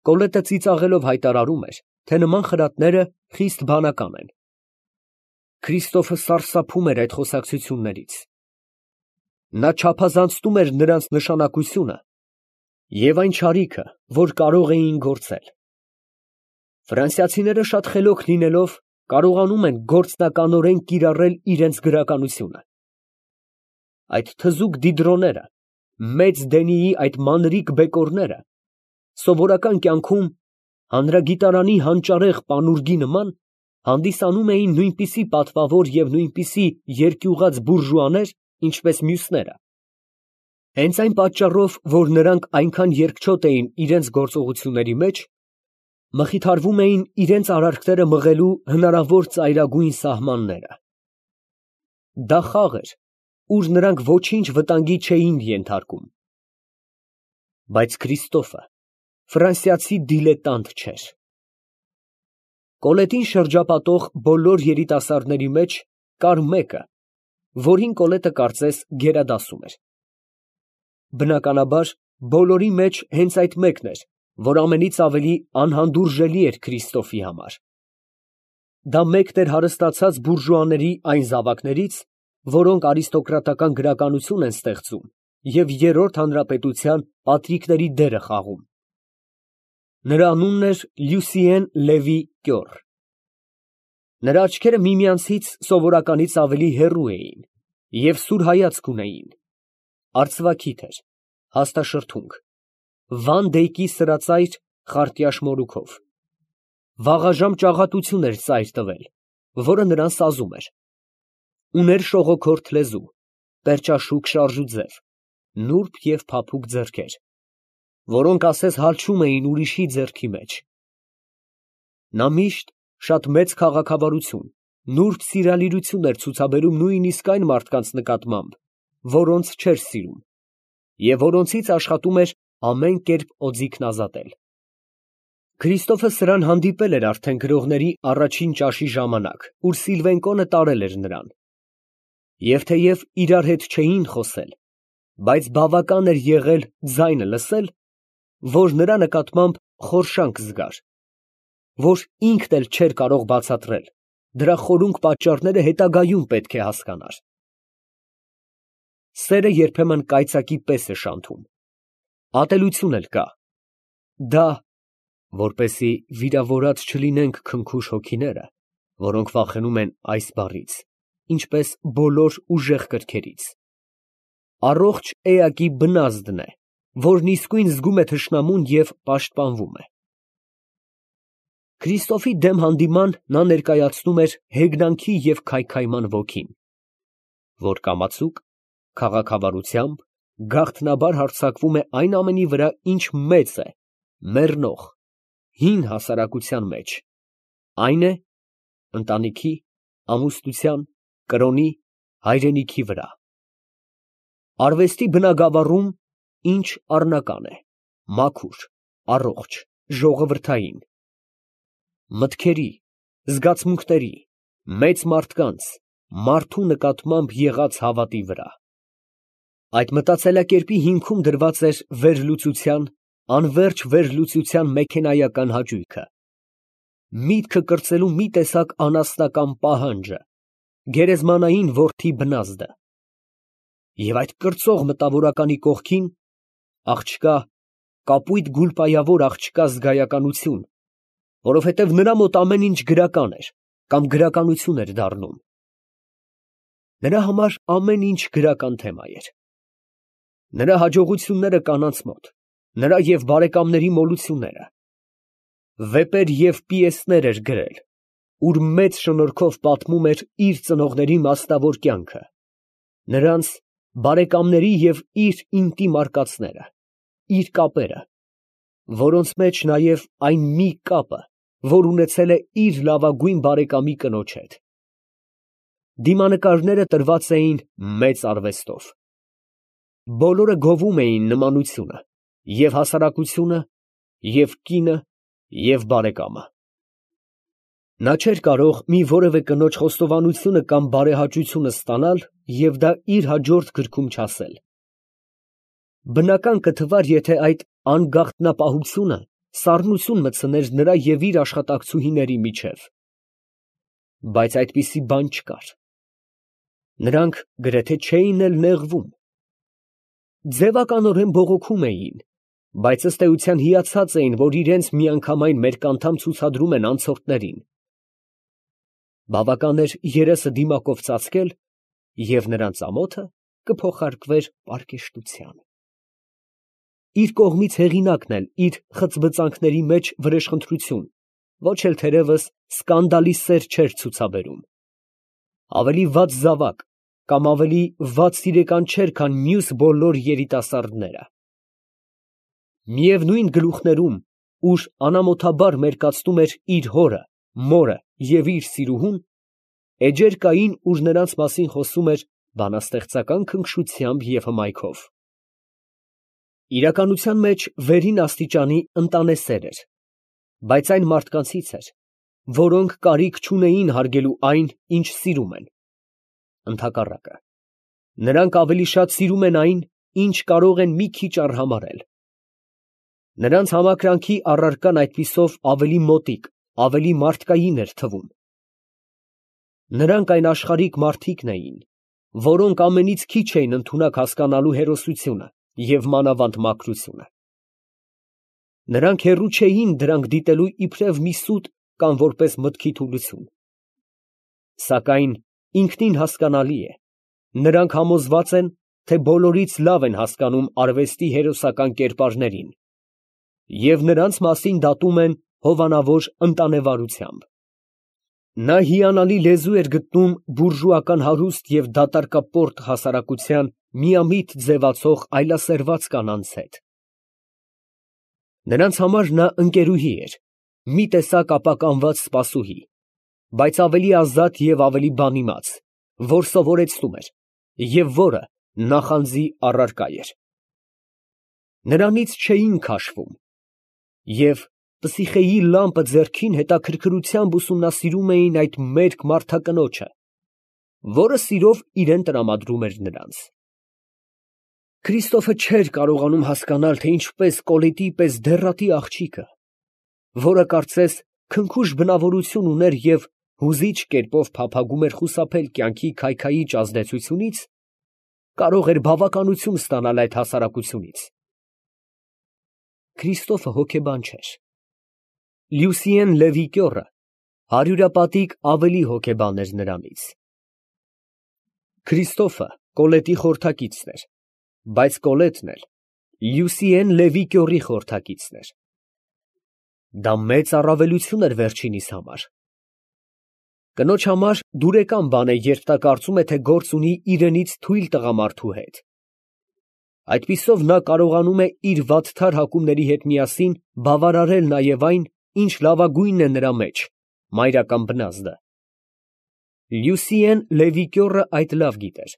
Կոլետը ծիծաղելով հայտարարում էր, թե նման խրատները խիստ բանական են։ Քրիստոֆը սարսափում էր այդ խոսակցություններից։ Նա չափազանցնում էր նրանց նշանակությունը և այն չարիքը, որ կարող էին գործել։ Ֆրանսիացիները շատ խելոք լինելով, կարողանում են գործնականորեն կիրառել իրենց գրականությունը։ Այդ թզուկ դիդրոները, մեծ Դենիի այդ մանրիկ բեկորները, սովորական կյանքում հանրագիտարանի հանճարեղ պանուրգի նման, հանդիսանում էին նույնպիսի պատվավոր և նույնպիսի երկյուղած բուրժուաներ, ինչպես մյուսները։ Հենց այն պատճառով, որ նրանք այնքան երկչոտ էին իրենց գործողությունների մեջ, մխիթարվում էին իրենց արարքները մղելու հնարավոր ծայրագույն սահմանները։ Դա խաղ էր, ուր նրանք ոչինչ վտանգի չէին ենթարկում։ Բայց Քրիստոֆը ֆրանսիացի դիլետանտ չէր։ Կոլետին շրջապատող բոլոր երիտասարդների մեջ կար մեկը, որին Կոլետը կարծես գերադասում էր։ Բնականաբար, բոլորի մեջ հենց այդ մեկն էր, որ ամենից ավելի անհանդուրժելի էր Քրիստոֆի համար։ Դա մեկն էր հարստացած բուրժուաների այն զավակներից, որոնք արիստոկրատական գրականություն են ստեղծում և Երրորդ հանրապետության պատրիկների դերը խաղում։ Նրա անունն էր Լյուսիեն Լևի Կյոր։ Նրա աչքերը միմյանցից սովորականից ավելի հեռու էին և սուր հայացք ունեին, արծվաքիթ էր, հաստաշրթունք, Վան Դեյկի սրածայր խարտյաշ մորուքով, վաղաժամ ճաղատություն էր ծայր տվել, որը նրան սազում էր, ուներ շողոքորթ լեզու, պերճաշուք շարժուձև, նուրբ և փափուկ ձեռքեր, որոնք ասես հալչում էին ուրիշի ձեռքի մեջ։ Նա միշտ շատ մեծ քաղաքավարություն, նուրբ սիրալիրություն էր ցուցաբերում նույնիսկ այն մարդկանց նկատմամբ, որոնց չէր սիրում, և որոնցից աշխատում էր ամեն կերպ օձիքն ազատել։ Քրիստոֆը սրան հանդիպել էր արդեն գրողների առաջին ճաշի ժամանակ, ուր Սիլվենկոն տարել էր նրան։ Եվ թեև իրար հետ չէին խոսել, բայց բավական էր եղել ձայնը լսել, որ նրա նկատմամբ խորշանք զգար, որ ինքն էլ չէր կարող բացատրել, դրա խորունկ պատճառները հետագայում պետք է հասկանար։ Սերը երբեմն կայծակի պես է շանթում, ատելություն էլ կա։ Դա, որպեսզի վիրավորած չլինենք քնքուշ հոգիները, որոնք վախենում են այս բառից, ինչպես բոլոր ուժեղ կրքերից, առողջ էակի բնազդն է, որն իսկույն զգում է թշնամուն և պաշտպանվում է։ Քրիստոֆի դեմ հանդիման նա ներկայացնում էր հեգնանքի և քայքայման ոգին, որ կամացուկ, քաղաքավարությամբ գաղտնաբար հարձակվում է այն ամենի վրա, ինչ մեծ է, մեռնող, հին հասարակության մեջ, այն է ընտանիքի, ամուսնության, կրոնի, հայրենիքի վրա։ Արվեստի բնագավառում, ինչ առնական է, մաքուր, առողջ, ժողովրդային, մտքերի, զգացմունքների, մեծ մարդկանց, մարդու նկատմամբ եղած հավատի վրա։ Այդ մտածելակերպի հիմքում դրված էր վերլուծության, անվերջ վերլուծության մեքենայական հաճույքը, միտքը կրծելու մի տեսակ անասնական պահանջը, գերեզմանային որդի բնազդը։ Եվ այդ կրծող մտավորականի կողքին աղջկա, կապույտ գուլպայավոր աղջկա զգայականություն, որովհետև նրա մոտ ամեն ինչ գրական էր կամ գրականություն էր դառնում։ Նրա համար ամեն ինչ գրական թեմա էր։ Նրա հաջողությունները կանանց մոտ, նրա և բարեկամների մոլությունները, վեպեր և պիեսներ էր գրել, ուր մեծ շնորհքով պատմում էր իր ծնողների մասնավոր կյանքը, նրանց բարեկամների և իր ինտիմ արկածները, իր կապերը, որոնց մեջ նաև այն մի կապը, որ ունեցել է իր լավագույն բարեկամի կնոջ հետ։ Դիմանկարները տրված էին մեծ արվեստով։ Բոլորը գովում էին նմանությունը, և հասարակությունը, և կինը, և բարեկամը։ Նա չէր կարող մի որևէ կնոջ խոստովանությունը կամ բարեհաճությունը ստանալ և դա իր հաջորդ գրքում չասել։ Բնական կթվար, եթե այդ անգաղտնապահությունը սառնություն մտցներ նրա և իր աշխատակցուհիների միջև։ Բայց այդպիսի բան չկար։ Նրանք գրեթե չէին էլ նեղվում։ Ձևականորեն բողոքում էին, բայց ըստ էության հիացած էին, որ իրենց միանգամայն մերկ անդամ ցուցադրում են անցորդներին։ Բավական էր երեսը դիմակով ծածկել, և նրանց ամոթը կփոխարկվեր պարկեշտության։ Իր կողմից հեղինակն էլ իր խծբծանքների մեջ վրեժխնդրություն, ոչ էլ թերևս սկանդալի սեր չէր ցուցաբերում։ Ավելի վատ զավակ կամ ավելի վատ սիրեկան չէր, քան մյուս բոլոր երիտասարդները։ Միևնույն գլուխներում, ուր անամոթաբար մերկացնում էր իր հորը, մորը և իր սիրուհուն, էջեր կային, ուր նրանց մասին խոսում էր բանաստեղծական քնքշությամբ և հմայքով։ Իրականության մեջ վերին աստիճանի ընտանեսեր էր, բայց այն մարդկանցից էր, որոնք կարիք չունեին հարգելու այն, ինչ սիրում են։ Ընդհակառակը, նրանք ավելի շատ սիրում են այն, ինչ կարող են մի քիչ արհամարհել։ Նրանց համակրանքի առարկան այդպիսով ավելի մոտիկ, ավելի մարդկային էր թվում։ Նրանք այն աշխարհիկ մարդիկն էին, որոնք ամենից քիչ էին ընդունակ հասկանալու հերոսությունը և մանավանդ մաքրությունը։ Նրանք հեռու չէին դրանք դիտելու իբրև մի սուտ կամ որպես մտքի թուլություն։ Սակայն ինքնին հասկանալի է, նրանք համոզված են, թե բոլորից լավ են հասկանում արվեստի հերոսական կերպարներին և նրանց մասին դատում են հովանավոր ընտանեվարությամբ։ Նա հիանալի լեզու էր գտնում բուրժուական հարուստ և դատարկապորտ հասարակության միամիտ ձևացող այլասերված կանանց հետ։ Նրանց համար նա ընկերուհի էր, մի տեսակ ապականված սպասուհի, բայց ավելի ազատ և ավելի բանիմաց, որ սովորեցնում էր և որը նախանձի առարկա էր։ Նրանից չէին քաշվում, և Պսիխեի լամպը ձեռքին հետաքրքրությամբ ուսումնասիրում էին այդ մերկ մարդակնոջը, որը սիրով իրան տրամադրում էր նրանց։ Քրիստոֆը չէր կարողանում հասկանալ, թե ինչպես Կոլետի պես դեռատի աղջիկը, որը կարծես քնքուշ բնավորություն ուներ և հուզիչ կերպով փափագում էր խուսափել կյանքի քայքայիչ ազդեցությունից, կարող էր բավականություն ստանալ այդ հասարակությունից։ Քրիստոֆը հոգեբան չէր։ Լյուսիեն Լևի կյոռը հարյուրապատիկ ավելի հոգեբան էր նրանից։ Քրիստոֆը Կոլետի խորհրդակիցն էր, բայց Կոլետն էլ Լյուսիեն Լևի կյոռի խորհրդակիցն էր։ Դա մեծ առավելություն էր վերջինիս համար։ Կնոջ համար դուրեկան բան է, երբ նա կարծում է, թե գործ ունի իրենից թույլ տղամարդու հետ։ Այդպիսով նա կարողանում է իր վատթար հակումների հետ միասին բավարարել նաև այն, ինչ լավագույնն է նրա մեջ, մայրական բնազդը։ Լյուսիեն Լևի կյոռը այդ լավ գիտեր։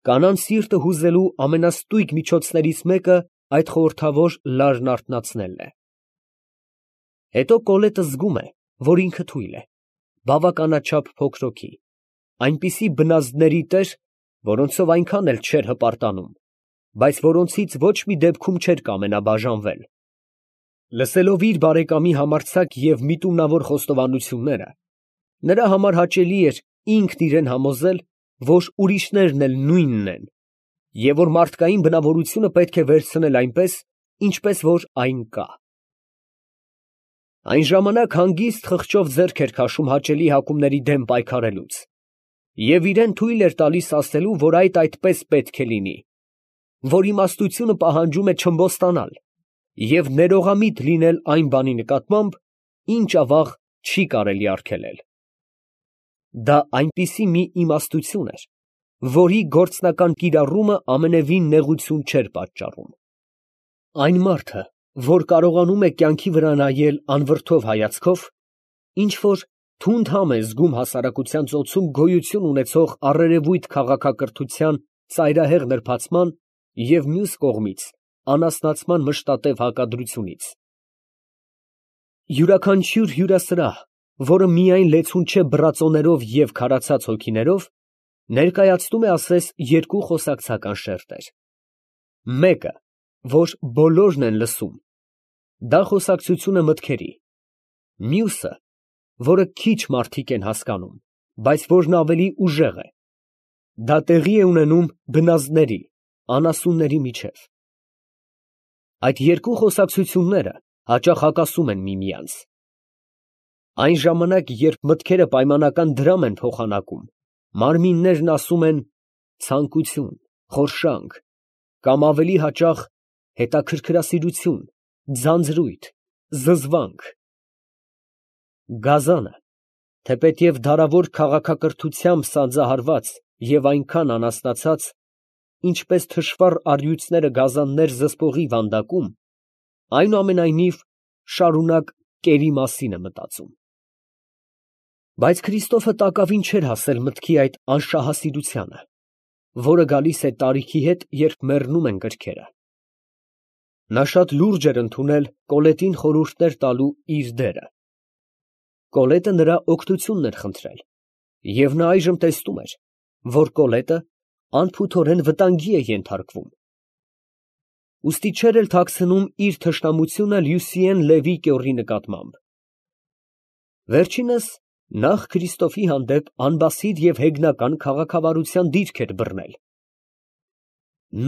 Կանանց սիրտը հուզելու ամենաստույգ միջոցներից մեկը այդ խորհրդավոր լարն արթնացնելն է։ Հետո Կոլետը զգում է, որ ինքը թույլ է, բավականաչափ փոքրոքի, այնպիսի բնազդների տեր, որոնցով այնքան էլ չէր հպարտանում, բայց որոնցից ոչ մի դեպքում չէր կամենա բաժանվել։ Լսելով իր բարեկամի համարձակ և միտումնավոր խոստովանությունները, նրա համար հաճելի էր ինքն իրան համոզել, որ ուրիշներն էլ նույնն են, և որ մարդկային բնավորությունը պետք է վերցնել այնպես, ինչպես որ այն կա։ Այն ժամանակ հանգիստ խղճով ձեռք էր քաշում հաճելի հակումների դեմ պայքարելուց, և իրան թույլ էր տալիս ասելու, որ այդ այդպես պետք է լինի, որ իմաստությունը պահանջում է չըմբոստանալ և ներողամիտ լինել այն բանի նկատմամբ, ինչ ավաղ չի կարելի արգելել։ Դա այնպիսի մի իմաստություն էր, որի գործնական կիրառումը ամենևին նեղություն չէր պատճառում։ Այն մարդը, որ կարողանում է կյանքի վրա նայել անվրդով հայացքով, ինչ որ թունդ համ է զգում հասարակության ծոցում գոյություն ունեցող առերևույթ քաղաքակրթության ծայրահեղ նրբացման և մյուս կողմից անասնացման մշտատև հակադրությունից։ Յուրաքանչյուր հյուրասրահ, որը միայն լեցուն չէ բռածոներով և քարացած հոգիներով, ներկայացնում է ասես երկու խոսակցական շերտեր. մեկը, որ բոլորն են լսում, Դա խոսակցությունը մտքերի, մյուսը, որը քիչ մարդիկ են հասկանում, բայց որն ավելի ուժեղ է, դա տեղի է ունենում բնազդների, անասունների միջև։ Այդ երկու խոսակցությունները հաճախ հակասում են միմյանց։ Այն ժամանակ, երբ մտքերը պայմանական դրամ են փոխանակում, մարմիններն ասում են ցանկություն, խորշանք, կամ ավելի հաճախ հետաքրքրասիրություն, ձանձրույթ, զզվանք։ Գազանը, թեպետև դարավոր քաղաքակրթությամբ սանձահարված և այնքան անաստացած, ինչպես թշվառ առյուծները գազաններ զսպողի վանդակում, այնուամենայնիվ շարունակ կերի մասին է մտածում։ Բայց Քրիստոֆը տակավին չէր հասել մտքի այդ անշահասիրությանը, որը գալիս է տարիքի հետ, երբ մեռնում են գրքերը։ Նա շատ լուրջ էր ընդունել Կոլետին խորհուրդներ տալու իր դերը։ Կոլետը նրա օգնությունն էր խնդրել, և նա այժմ տեսնում էր, որ Կոլետը անփութորեն վտանգի է ենթարկվում։ Ուստի չէր էլ թաքցնում իր թշնամությունը Լյուսիեն Լևի կյոռի նկատմամբ։ Վերջինս նախ Քրիստոֆի հանդեպ անբասիդ և հեգնական քաղաքավարության դիրք էր բռնել։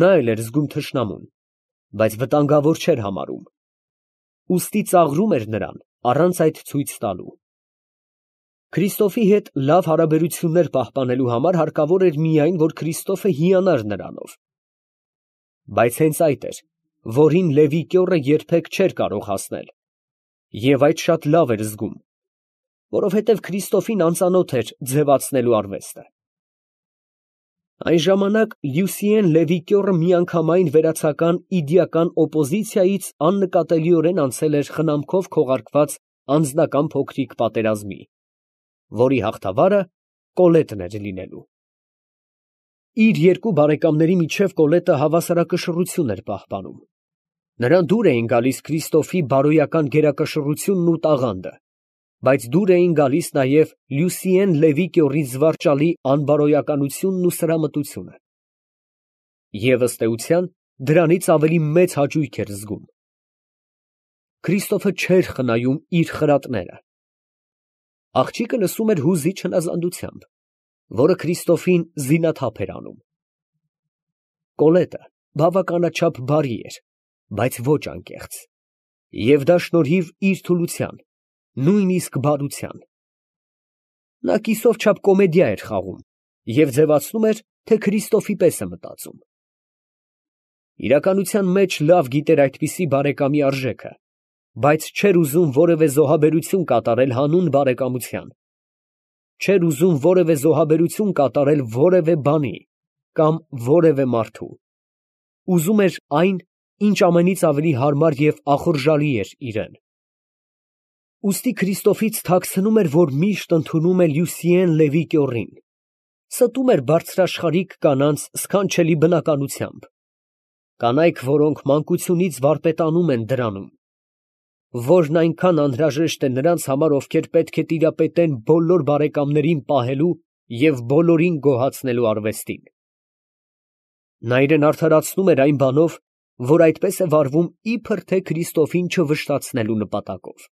Նա էլ էր զգում թշնամուն, բայց վտանգավոր չէր համարում, ուստի ծաղրում էր նրան առանց այդ ցույց տալու։ Քրիստոֆի հետ լավ հարաբերություններ պահպանելու համար հարկավոր էր միայն, որ Քրիստոֆը հիանար նրանով։ Բայց հենց այդ էր, որին Լևի կյոռը երբեք չէր կարող հասնել, և այդ շատ լավ էր զգում, որովհետև Քրիստոֆին անծանոթ էր ձևացնելու արվեստը։ Այն ժամանակ Լյուսիեն Լևի կյոռը միանգամայն վերացական իդեական օպոզիցիայից աննկատելիորեն անցել էր խնամքով քողարկված անձնական փոքրիկ պատերազմի, որի հաղթավարը Կոլետն էր լինելու։ Իր երկու բարեկամների միջև Կոլետը հավասարակշռություն էր պահպանում։ Նրան դուր էին գալիս Քրիստոֆի բարոյական գերակշռությունն ու տաղանդը, բայց դուր էին գալիս նաև Լյուսիեն Լևի կյոռի զվարճալի անբարոյականությունն ու սրամտությունը։ Եվ ըստ էության, դրանից ավելի մեծ հաճույք էր զգում։ Քրիստոֆը չէր խնայում իր խրատները։ Աղջիկը լսում էր հուզիչ հնազանդությամբ, որը Քրիստոֆին զինաթափ էր անում։ Կոլետը բավականաչափ բարի էր, բայց ոչ անկեղծ, և դա շնորհիվ իր թուլության, նույնիսկ բարության։ Նա կիսով չափ կոմեդիա էր խաղում և ձևացնում էր, թե Քրիստոֆի պես է մտածում։ Իրականության մեջ լավ գիտեր այդպիսի բարեկամի արժեքը, բայց չէր ուզում որևէ զոհաբերություն կատարել հանուն բարեկամության, չէր ուզում որևէ զոհաբերություն կատարել որևէ բանի կամ որևէ մարդու, ուզում էր այն, ինչ ամենից ավելի հարմար և ախորժալի էր իրեն։ Ուստի Քրիստոֆից թաքցնում էր, որ միշտ ընդունում է Լյուսիեն Լևի կյոռին, ստում էր բարձրաշխարհիկ կանանց սքանչելի բնականությամբ, կանայք, որոնք մանկությունից վարպետանում են դրանում, որն այնքան անհրաժեշտ է նրանց համար, ովքեր պետք է տիրապետեն բոլոր բարեկամներին պահելու և բոլորին գոհացնելու արվեստին։ Նա իրեն արդարացնում էր այն բանով, որ այդպես է վարվում իբր թե Քրիստոֆին չվշտացնելու նպատակով։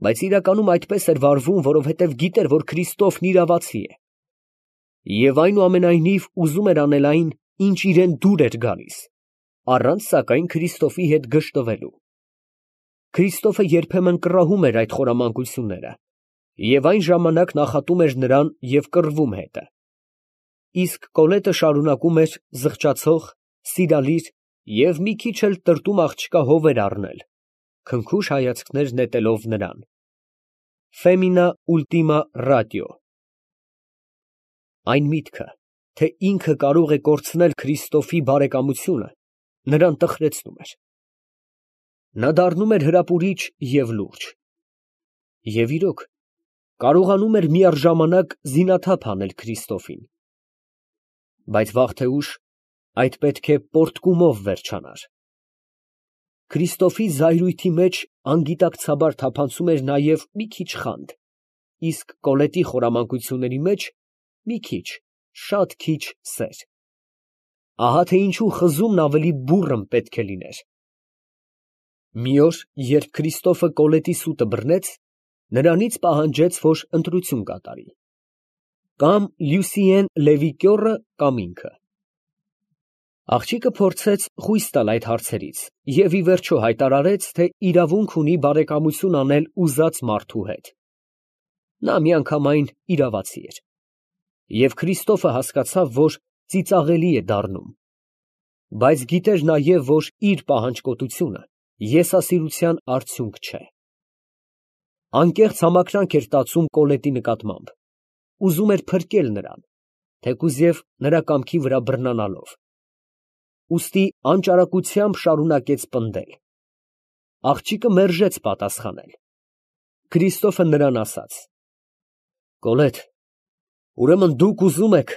Բայց իրականում այդպես էր վարվում, որովհետև գիտեր, որ Քրիստոֆն իրավացի է, և այնուամենայնիվ ուզում էր անել այն, ինչ իրան դուր էր գալիս, առանց սակայն Քրիստոֆի հետ գժտվելու։ Քրիստոֆը երբեմն կռահում էր այդ խորամանկությունները, և այն ժամանակ նախատում էր նրան և կռվում հետը։ Իսկ Կոլետը շարունակում էր զղջացող, սիրալիր և մի քիչ էլ տրտում աղջկա հովեր առնել, քնքուշ հայացքներ նետելով նրան։ Femina ultima ratio։ Այն միտքը, թե ինքը կարող է կորցնել Քրիստոֆի բարեկամությունը, նրան տխրեցնում էր։ Նա դառնում էր հրապուրիչ և լուրջ։ Եվ իրոք, կարողանում էր միառժամանակ զինաթափ անել Քրիստոֆին։ Բայց վաղ թե ուշ այդ պետք է պոռթկումով վերջանար։ Քրիստոֆի զայրույթի մեջ անգիտակցաբար թափանցում էր նաև մի քիչ խանդ, իսկ Կոլետի խորամանկությունների մեջ մի քիչ, շատ քիչ սեր։ Ահա թե ինչու խզումն ավելի բուռն պետք է լիներ։ Մի օր, երբ Քրիստոֆը Կոլետի սուտը բռնեց, նրանից պահանջեց, որ ընտրություն կատարի. կամ Լյուսիեն Լևի կյոռը, կամ ինքը։ Աղջիկը փորձեց խույս տալ այդ հարցերից և ի վերջո հայտարարեց, թե իրավունք ունի բարեկամություն անել ուզած մարդու հետ։ Նա միանգամայն իրավացի էր։ Եվ Քրիստոֆը հասկացավ, որ ծիծաղելի է դառնում, բայց գիտեր նաև, որ իր պահանջկոտությունը եսասիրության արդյունք չէ։ Անկեղծ համակրանք էր տածում Կոլետի նկատմամբ, ուզում էր փրկել նրան, թեկուզև նրա կամքի վրա բռնանալով, ուստի անճարակությամբ շարունակեց պնդել։ Աղջիկը մերժեց պատասխանել։ Քրիստոֆը նրան ասաց. Կոլետ, ուրեմն դուք ուզում եք,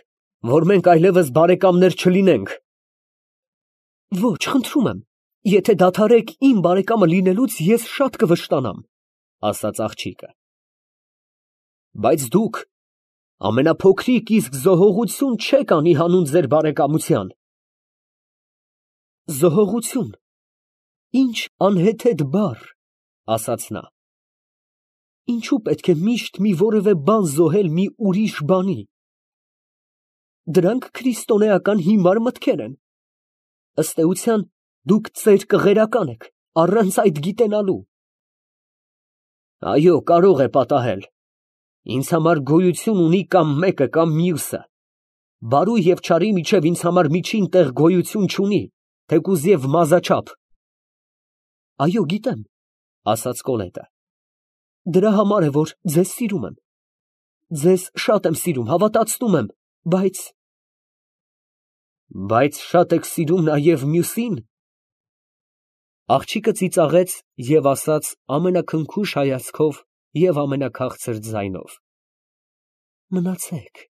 որ մենք այլևս բարեկամներ չլինենք։ Ոչ, խնդրում եմ, եթե դադարեք իմ բարեկամը լինելուց, ես շատ կվշտանամ, ասաց աղջիկը։ Բայց դուք ամենափոքրիկ իսկ զոհողություն չեք անի հանուն ձեր բարեկամության։ Զոհողություն, ինչ անհեթեթ բառ, ասաց նա։ Ինչու պետք է միշտ մի որևէ բան զոհել մի ուրիշ բանի։ Դրանք քրիստոնեական հիմար մտքեր են։ Ըստ էության, դուք ծեր կղերական եք, առանց այդ գիտենալու։ Այո, կարող է պատահել։ Ինձ համար գոյություն ունի կամ մեկը, կամ մյուսը։ Բարու և չարի միջև ինձ համար միջին տեղ գոյություն չունի, թեկուզև մազաչափ։ Այո, գիտեմ, ասաց Կոլետը։ Դրա համար է, որ ձեզ սիրում եմ։ Ձեզ շատ եմ սիրում, հավատացնում եմ, բայց… Բայց շատ եք սիրում նաև մյուսին։ Աղջիկը ծիծաղեց և ասաց ամենաքնքուշ հայացքով և ամենաքաղցր ձայնով. Մնացեք,